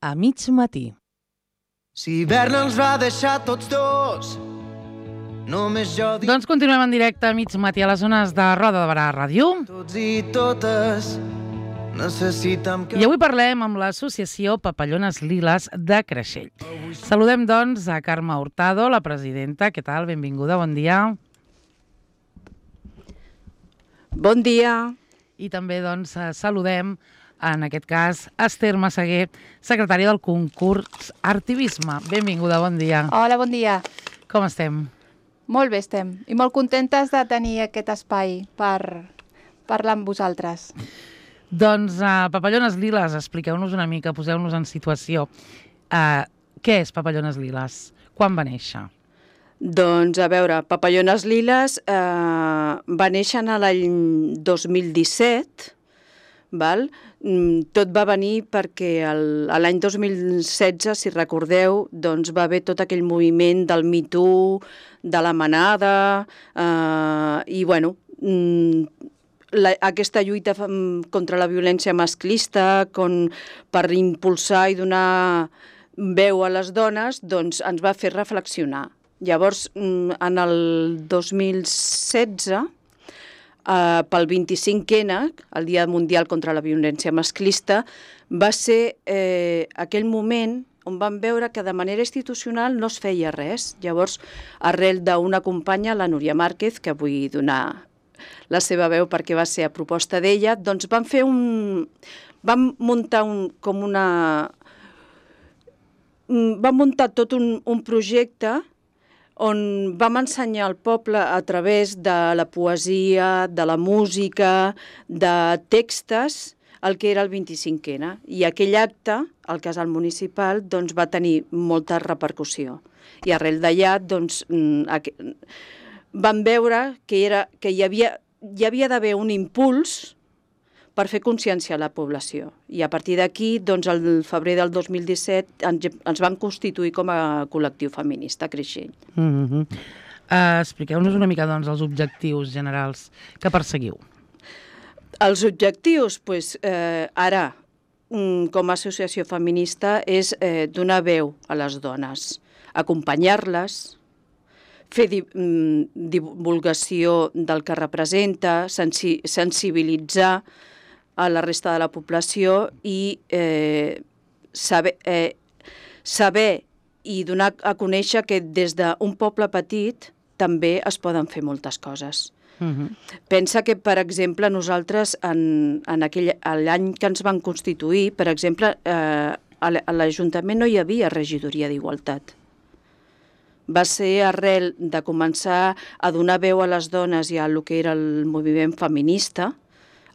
a mig matí. Si hivern ens va deixar tots dos, només jo dic Doncs continuem en directe a mig matí a les zones de Roda de Barà Ràdio. tots i totes necessitem que... I avui parlem amb l'associació Papallones Liles de Creixell. Saludem, doncs, a Carme Hurtado, la presidenta. Què tal? Benvinguda, bon dia. Bon dia. I també, doncs, saludem, en aquest cas, Esther Massaguer, secretària del concurs Artivisme. Benvinguda, bon dia. Hola, bon dia. Com estem? Molt bé estem i molt contentes de tenir aquest espai per parlar amb vosaltres. Doncs, Papallones Liles, expliqueu-nos una mica, poseu-nos en situació. Què és Papallones Liles? Quan va néixer? Doncs, a veure, Papallones Liles va néixer en l'any 2017, val? Tot va venir perquè l'any 2016, si recordeu, doncs va haver tot aquell moviment del Me Too, de la manada, i bueno, aquesta lluita contra la violència masclista, per impulsar i donar veu a les dones, doncs ens va fer reflexionar. Llavors, en el 2016, pel 25N, el Dia Mundial contra la Violència Masclista, va ser aquell moment on vam veure que de manera institucional no es feia res. Llavors, arrel d'una companya, la Núria Márquez, que vull donar la seva veu perquè va ser a proposta d'ella, doncs vam muntar tot un projecte on vam ensenyar al poble a través de la poesia, de la música, de textos, el que era el 25N. I aquell acte, al casal municipal, doncs, va tenir molta repercussió. I arrel d'allà doncs, vam veure que hi havia d'haver un impuls per fer consciència a la població. I a partir d'aquí, doncs, el febrer del 2017, ens vam constituir com a col·lectiu feminista a Creixell. Expliqueu-nos una mica, doncs, els objectius generals que perseguiu. Els objectius, doncs, ara, com a associació feminista, és donar veu a les dones, acompanyar-les, fer divulgació del que representa, sensibilitzar a la resta de la població i saber i donar a conèixer que des d'un poble petit també es poden fer moltes coses. Pensa que, per exemple, nosaltres, l'any que ens van constituir, per exemple, a l'Ajuntament no hi havia regidoria d'Igualtat. Va ser arrel de començar a donar veu a les dones i a el que era el moviment feminista,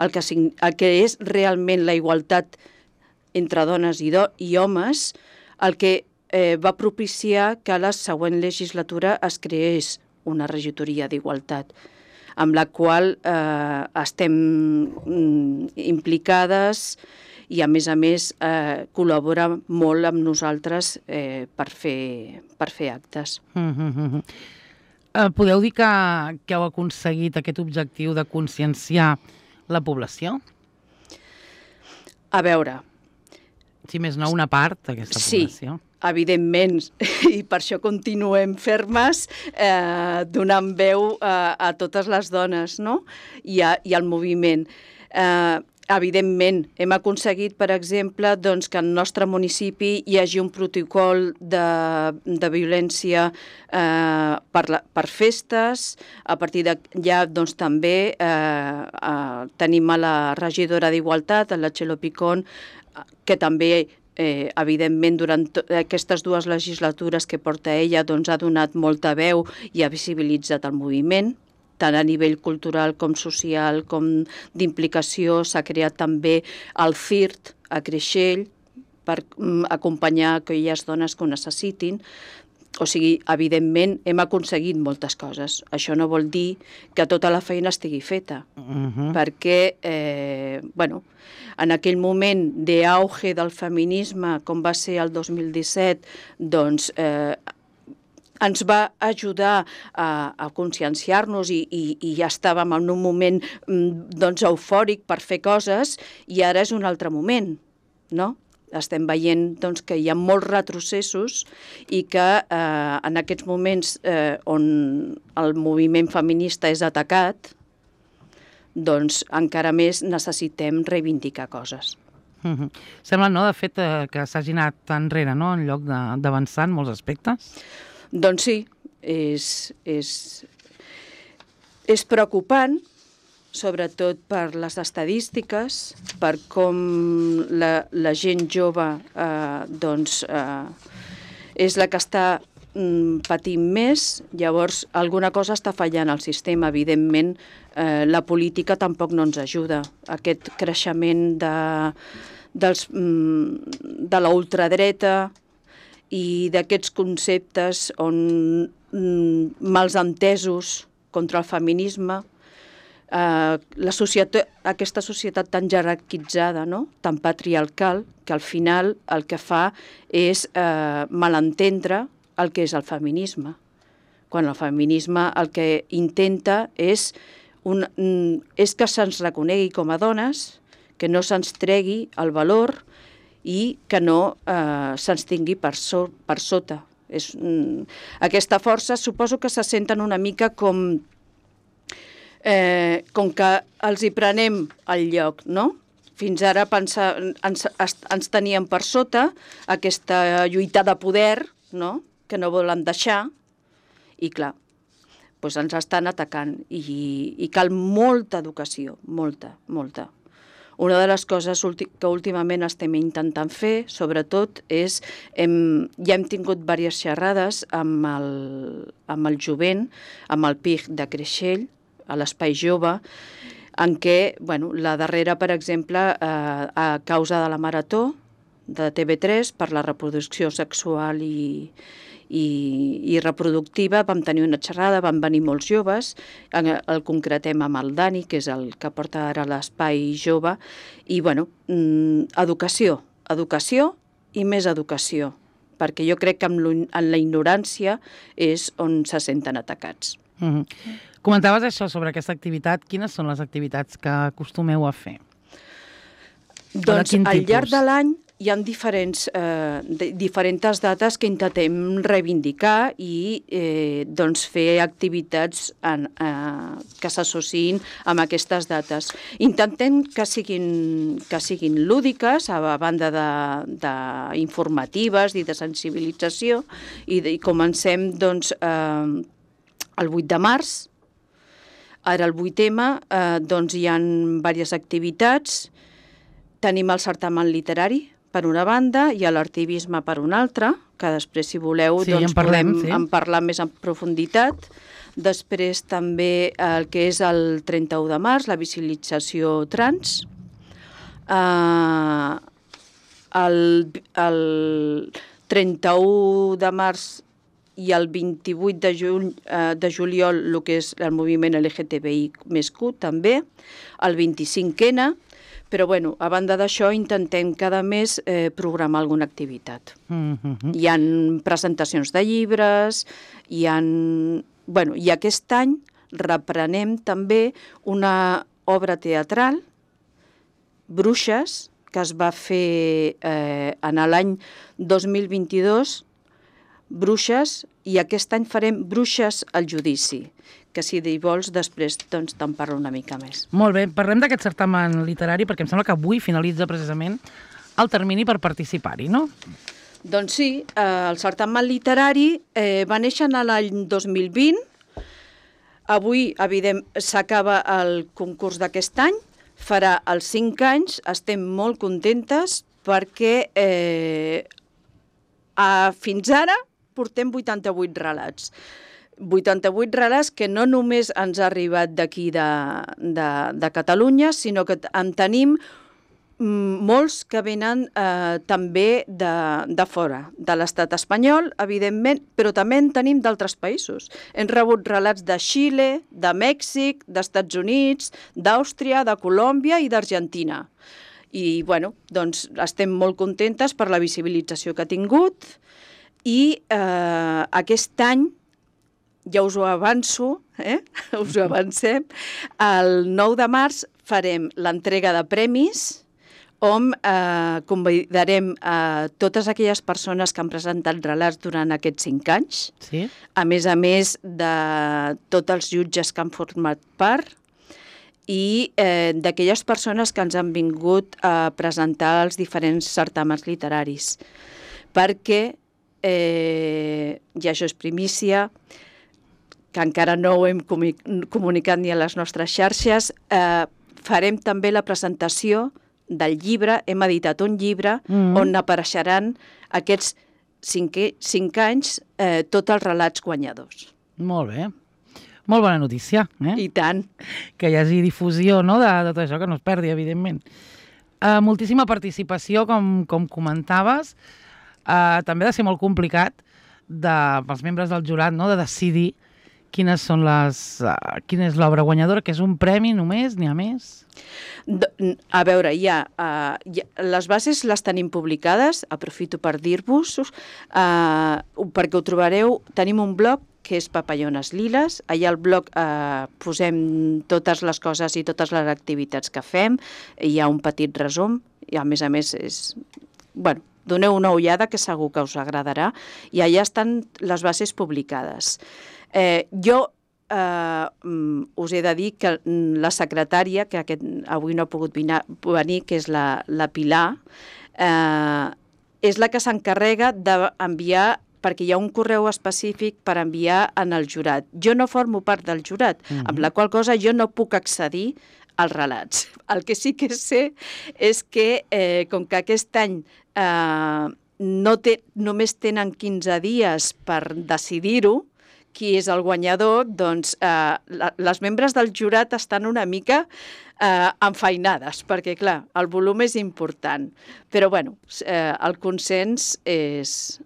el que és realment la igualtat entre dones i homes, el que va propiciar que a la següent legislatura es creés una regidoria d'Igualtat, amb la qual estem implicades i, a més, col·labora molt amb nosaltres per fer actes. Podeu dir que heu aconseguit aquest objectiu de conscienciar la població? A veure... Si més no, una part d'aquesta població. Sí, evidentment, i per això continuem fermes donant veu a totes les dones, no? I al moviment. Evidentment, hem aconseguit, per exemple, doncs, que al nostre municipi hi hagi un protocol de violència per festes. A partir d'allà doncs, també tenim a la regidora d'Igualtat, a la Txelo Picón, que també, evidentment, durant aquestes dues legislatures que porta ella, doncs, ha donat molta veu i ha visibilitzat el moviment, tant a nivell cultural com social, com d'implicació. S'ha creat també el CIRT a Creixell per acompanyar aquelles dones que ho necessitin. O sigui, evidentment, hem aconseguit moltes coses. Això no vol dir que tota la feina estigui feta, perquè, en aquell moment d'auge del feminisme, com va ser el 2017, doncs ens va ajudar a conscienciar-nos i ja estàvem en un moment eufòric per fer coses, i ara és un altre moment, no? Estem veient doncs, que hi ha molts retrocessos i que en aquests moments on el moviment feminista és atacat, doncs encara més necessitem reivindicar coses. Sembla, no, de fet, que s'hagi anat enrere, no?, en lloc d'avançar en molts aspectes. Doncs sí, és preocupant, sobretot per les estadístiques, per com la gent jove és la que està patint més. Llavors, alguna cosa està fallant al sistema. Evidentment, la política tampoc no ens ajuda. Aquest creixement de la ultradreta i d'aquests conceptes mals entesos contra el feminisme, aquesta societat tan jerarquitzada, no?, tan patriarcal, que al final el que fa és malentendre el que és el feminisme. Quan el feminisme el que intenta és que se'ns reconegui com a dones, que no se'ns tregui el valor i que no se'ns tingui per sota. Aquesta força suposo que se senten una mica com que els hi prenem el lloc, no? Fins ara ens tenien per sota aquesta lluita de poder, no?, que no volen deixar, i clar, doncs ens estan atacant i cal molta educació, molta. Una de les coses que últimament estem intentant fer, sobretot, és ja hem tingut diverses xerrades amb el jovent, amb el PIG de Creixell, a l'Espai Jove, en què, la darrera, per exemple, a causa de la Marató de TV3 per la reproducció sexual i reproductiva, vam tenir una xerrada, van venir molts joves, el concretem amb el Dani, que és el que porta ara l'Espai Jove, i, educació i més educació, perquè jo crec que en la ignorància és on se senten atacats. Comentaves això sobre aquesta activitat. Quines són les activitats que acostumeu a fer? Doncs al llarg de l'any hi ha diferents dates que intentem reivindicar i fer activitats que s'associïn amb aquestes dates. Intentem que siguin lúdiques, a banda d'informatives i de sensibilització, i comencem el 8 de març. Ara el 8M hi ha diverses activitats. Tenim el certamen literari, per una banda, i l'artivisme per una altra, que després, si voleu, podem parlar més en profunditat. Després també el que és el 31 de març, la visibilització trans. El 31 de març i el 28 de juliol el que és el moviment LGTBI+Q també, el 25N, però a banda d'això intentem cada mes programar alguna activitat. Hi ha presentacions de llibres, i aquest any reprenem també una obra teatral, Bruixes, que es va fer en l'any 2022, Bruixes, i aquest any farem Bruixes al judici, que si vols després te'n parlo una mica més. Molt bé, parlem d'aquest certamen literari perquè em sembla que avui finalitza precisament el termini per participar-hi, no? Doncs sí, el certamen literari va néixer l'any 2020, avui s'acaba el concurs d'aquest any, farà els 5 anys, estem molt contentes perquè fins ara portem 88 relats. 88 relats que no només ens ha arribat d'aquí de Catalunya, sinó que en tenim molts que venen també de fora, de l'estat espanyol, evidentment, però també en tenim d'altres països. Hem rebut relats de Xile, de Mèxic, d'Estats Units, d'Àustria, de Colòmbia i d'Argentina. I, estem molt contentes per la visibilització que ha tingut i aquest any, ja us ho avanço, us ho avancem, el 9 de març farem l'entrega de premis, on convidarem a totes aquelles persones que han presentat relats durant aquests 5 anys, Sí? a més de tots els jutges que han format part i d'aquelles persones que ens han vingut a presentar els diferents certàmens literaris. Perquè, i això és primícia, que encara no ho hem comunicat ni a les nostres xarxes, farem també la presentació del llibre, hem editat un llibre on apareixeran aquests 5 anys tots els relats guanyadors. Molt bé. Molt bona notícia, I tant. que hi hagi difusió, no?, de tot això, que no es perdi, evidentment. Moltíssima participació, com comentaves. També ha de ser molt complicat pels membres del jurat, no?, de decidir quina és l'obra guanyadora, que és un premi només, n'hi ha més? A veure, les bases les tenim publicades, aprofito per dir-vos, perquè ho trobareu, tenim un blog que és Papallones Liles, allà al blog posem totes les coses i totes les activitats que fem, hi ha un petit resum, i a més bueno, doneu una ullada que segur que us agradarà, i allà estan les bases publicades. Jo us he de dir que la secretària, que avui no ha pogut venir, que és la Pilar, és la que s'encarrega d'enviar, perquè hi ha un correu específic per enviar en el jurat. Jo no formo part del jurat, amb la qual cosa jo no puc accedir als relats. El que sí que sé és que, com que aquest any només tenen 15 dies per decidir-ho, qui és el guanyador, doncs les membres del jurat estan una mica enfeinades, perquè, clar, el volum és important. Però, bueno, el consens és...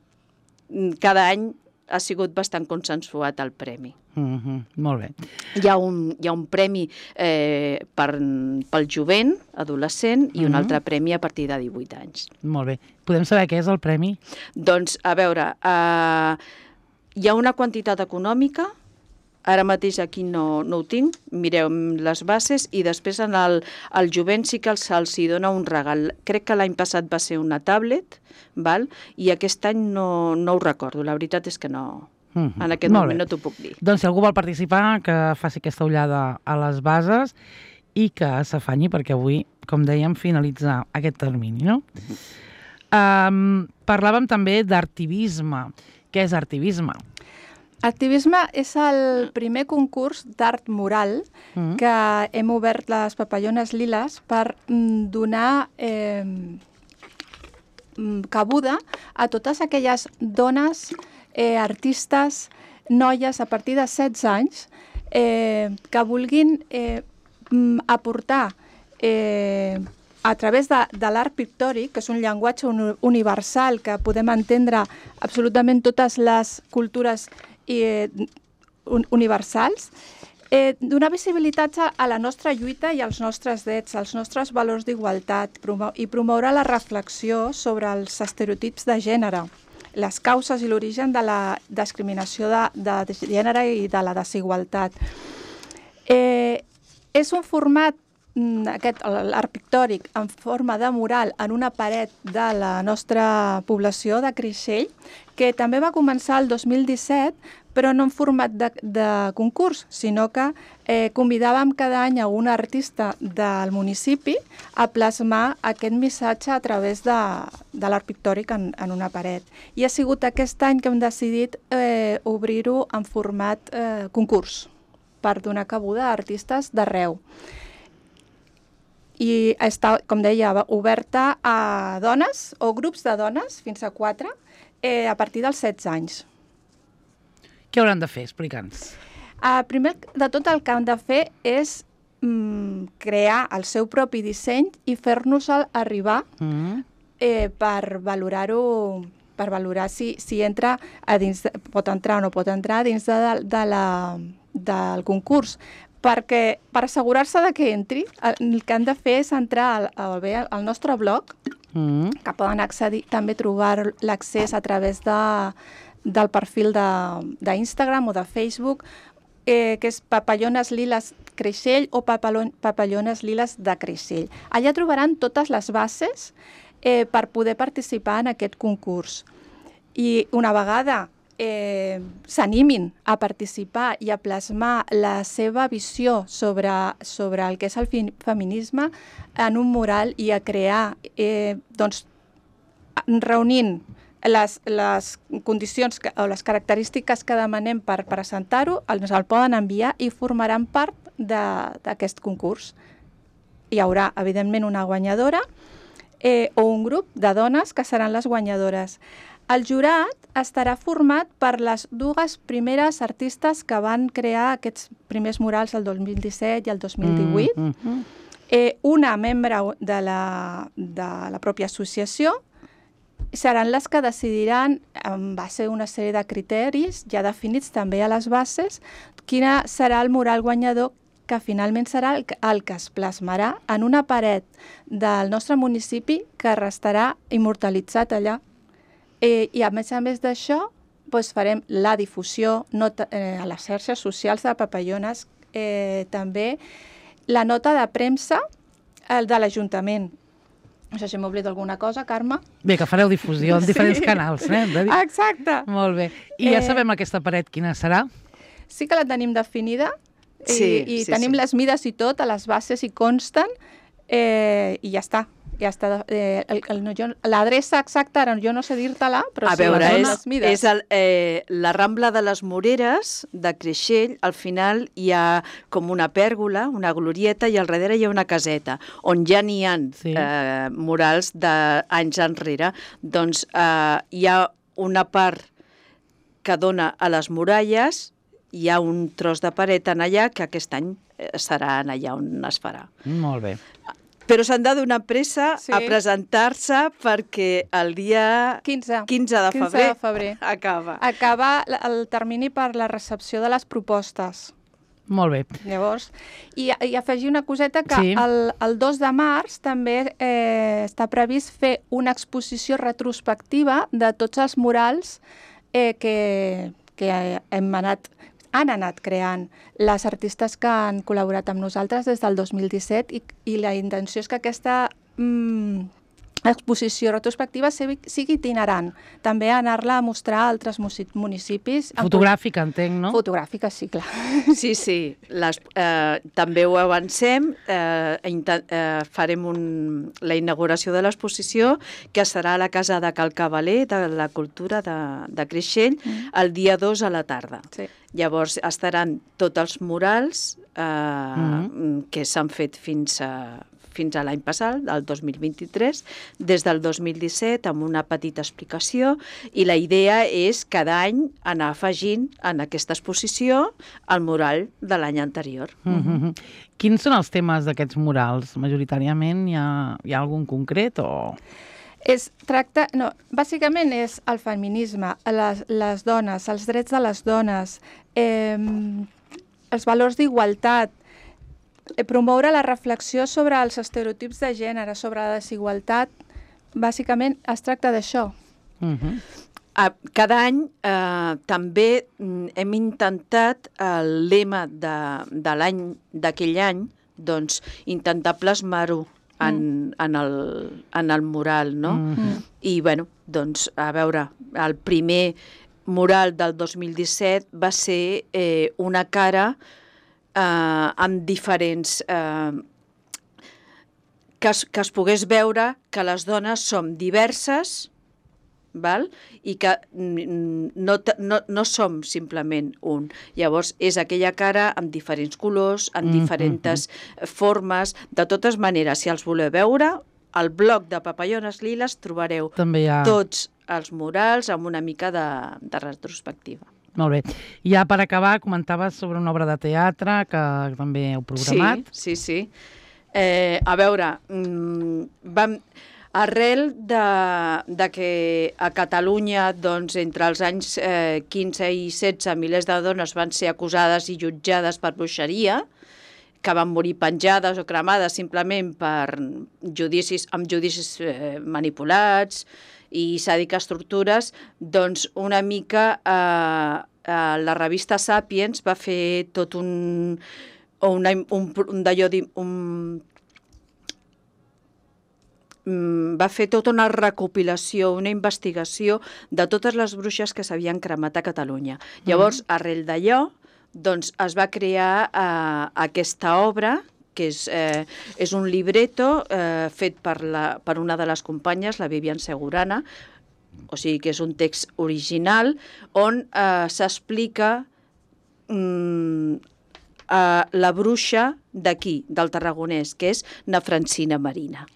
Cada any ha sigut bastant consensuat el premi. Molt bé. Hi ha un premi pel jovent, adolescent, i un altre premi a partir de 18 anys. Molt bé. Podem saber què és el premi? Doncs, a veure... Hi ha una quantitat econòmica, ara mateix aquí no ho tinc, mireu les bases, i després al jovent sí que se'ls dona un regal. Crec que l'any passat va ser una tablet, i aquest any no ho recordo, la veritat és que no, en aquest moment no t'ho puc dir. Doncs si algú vol participar, que faci aquesta ullada a les bases i que s'afanyi, perquè avui, com dèiem, finalitza aquest termini, no? Parlàvem també d'artivisme. Què és artivisme? Artivisme és el primer concurs d'art moral que hem obert les Papallones Liles per donar cabuda a totes aquelles dones, artistes, noies a partir de 16 anys que vulguin aportar a través de l'art pictòric, que és un llenguatge universal que podem entendre absolutament totes les cultures universals, donar visibilitat a la nostra lluita i als nostres drets, als nostres valors d'igualtat, i promoure la reflexió sobre els estereotips de gènere, les causes i l'origen de la discriminació de gènere i de la desigualtat. És un format, l'art pictòric, en forma de mural en una paret de la nostra població de Creixell, que també va començar el 2017, però no en format de concurs, sinó que convidàvem cada any a un artista del municipi a plasmar aquest missatge a través de l'art pictòric en una paret. I ha sigut aquest any que hem decidit obrir-ho en format concurs, per donar cabuda a artistes d'arreu. I està, com deia, oberta a dones o grups de dones, fins a 4, a partir dels 16 anys. Què hauran de fer? Explica'ns. Primer de tot el que han de fer és crear el seu propi disseny i fer-nos-el arribar per valorar-ho, per valorar si entra a dins, pot entrar o no pot entrar dins del concurs. Perquè per assegurar-se que entri, el que han de fer és entrar al nostre blog, que poden accedir, també trobar l'accés a través del perfil d'Instagram o de Facebook, que és Papallones Liles Creixell o Papallones Liles de Creixell. Allà trobaran totes les bases per poder participar en aquest concurs. I una vegada s'animin a participar i a plasmar la seva visió sobre el que és el feminisme en un mural i a crear, reunint les condicions o les característiques que demanem per presentar-ho, ens el poden enviar i formaran part d'aquest concurs. Hi haurà, evidentment, una guanyadora o un grup de dones que seran les guanyadores. El jurat estarà format per les dues primeres artistes que van crear aquests primers murals el 2017 i el 2018. Una membre de la pròpia associació, seran les que decidiran, en base a una sèrie de criteris ja definits també a les bases, quina serà el mural guanyador que finalment serà el que es plasmarà en una paret del nostre municipi que restarà immortalitzat allà. I a més d'això, farem la difusió a les xarxes socials de Papallones, també la nota de premsa de l'Ajuntament. No sé si m'oblido alguna cosa, Carme. Bé, que fareu difusió en diferents canals, Exacte. Molt bé. I ja sabem aquesta paret quina serà? Sí que la tenim definida i tenim les mides i tot, a les bases hi consten i ja està. L'adreça exacta, ara jo no sé dir-te-la, però a veure, les mides. És la Rambla de les Moreres de Creixell. Al final hi ha com una pèrgola, una glorieta, i al darrere hi ha una caseta on ja n'hi ha murals d'anys enrere. Doncs hi ha una part que dona a les muralles, hi ha un tros de paret en allà que aquest any serà allà on es farà. Molt bé. Però s'han de donar pressa a presentar-se perquè el dia 15 de febrer acaba. Acaba el termini per la recepció de les propostes. Molt bé. Llavors, i afegir una coseta que el 2 de març també està previst fer una exposició retrospectiva de tots els murals que han anat creant les artistes que han col·laborat amb nosaltres des del 2017 i la intenció és que aquesta exposició retrospectiva sigui itinerant. També anar-la a mostrar a altres municipis. Fotogràfica, entenc, no? Fotogràfica, sí, clar. Sí. També ho avancem. Farem la inauguració de l'exposició, que serà a la Casa de Cal Cavaler, de la Cultura de Creixell, el dia 2 a la tarda. Sí. Llavors estaran tots els murals que s'han fet fins a l'any passat, el 2023, des del 2017, amb una petita explicació, i la idea és cada any anar afegint en aquesta exposició el mural de l'any anterior. Quins són els temes d'aquests murals? Majoritàriament hi ha algun concret o...? Bàsicament és el feminisme, les dones, els drets de les dones, els valors d'igualtat, promoure la reflexió sobre els estereotips de gènere, sobre la desigualtat. Bàsicament es tracta d'això. Cada any també hem intentat el lema d'aquell any, doncs intentar plasmar-ho en el mural, no? I bueno, doncs a veure, el primer mural del 2017 va ser una cara amb diferents... que es pogués veure que les dones som diverses, val? I que no som simplement un. Llavors, és aquella cara amb diferents colors, amb diferents formes. De totes maneres, si els voleu veure, al blog de Papallones Liles trobareu tots els murals amb una mica de retrospectiva. Molt bé. Ja per acabar, comentaves sobre una obra de teatre que també heu programat. Sí. A veure, arrel de que a Catalunya, doncs, entre els anys 15 i 16, milers de dones van ser acusades i jutjades per bruixeria, que van morir penjades o cremades simplement amb judicis manipulats i sàdiques tortures, doncs una mica la revista Sapiens va fer tot va fer tota una recopilació, una investigació de totes les bruixes que s'havien cremat a Catalunya. Llavors, arrel d'allò, doncs, es va crear aquesta obra, que és un libreto fet per una de les companyes, la Vivian Segurana, o sigui que és un text original, on s'explica la bruixa d'aquí, del Tarragonès, que és na Francina Marina.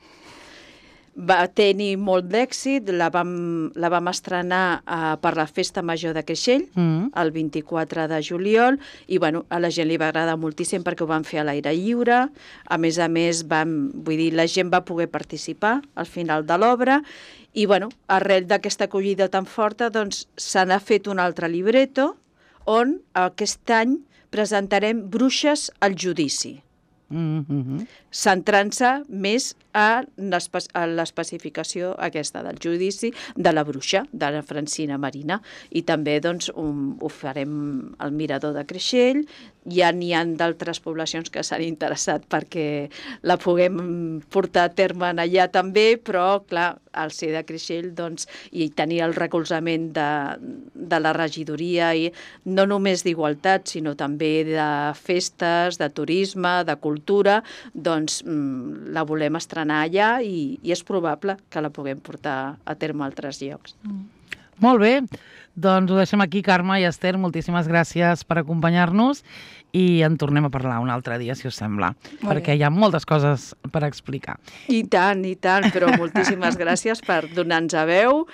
Va tenir molt d'èxit, la vam estrenar per la Festa Major de Creixell, el 24 de juliol, i bueno, a la gent li va agradar moltíssim perquè ho van fer a l'aire lliure. A més, la gent va poder participar al final de l'obra, i bueno, arrel d'aquesta acollida tan forta, doncs se n'ha fet un altre libreto on aquest any presentarem Bruixes al judici, centrant-se més a l'especificació aquesta del judici de la bruixa, de la Francina Marina, i també doncs, ho farem al Mirador de Creixell. Ja n'hi ha d'altres poblacions que s'han interessat perquè la puguem portar a terme allà també, però clar, al ser de Creixell doncs, i tenir el recolzament de la regidoria, i no només d'igualtat, sinó també de festes, de turisme, de cultura, doncs la volem estrenar allà i és probable que la puguem portar a terme a altres llocs. Molt bé, doncs ho deixem aquí, Carme i Esther, moltíssimes gràcies per acompanyar-nos i en tornem a parlar un altre dia, si us sembla, perquè hi ha moltes coses per explicar. I tant, però moltíssimes gràcies per donar-nos a veu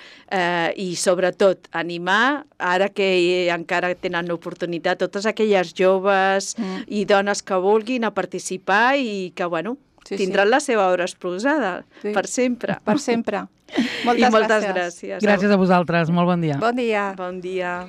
i sobretot animar, ara que encara tenen l'oportunitat, totes aquelles joves i dones que vulguin a participar i que, bueno, tindran la seva obra exposada per sempre. Per sempre. Moltes gràcies. Gràcies a vosaltres, molt bon dia. Bon dia. Bon dia.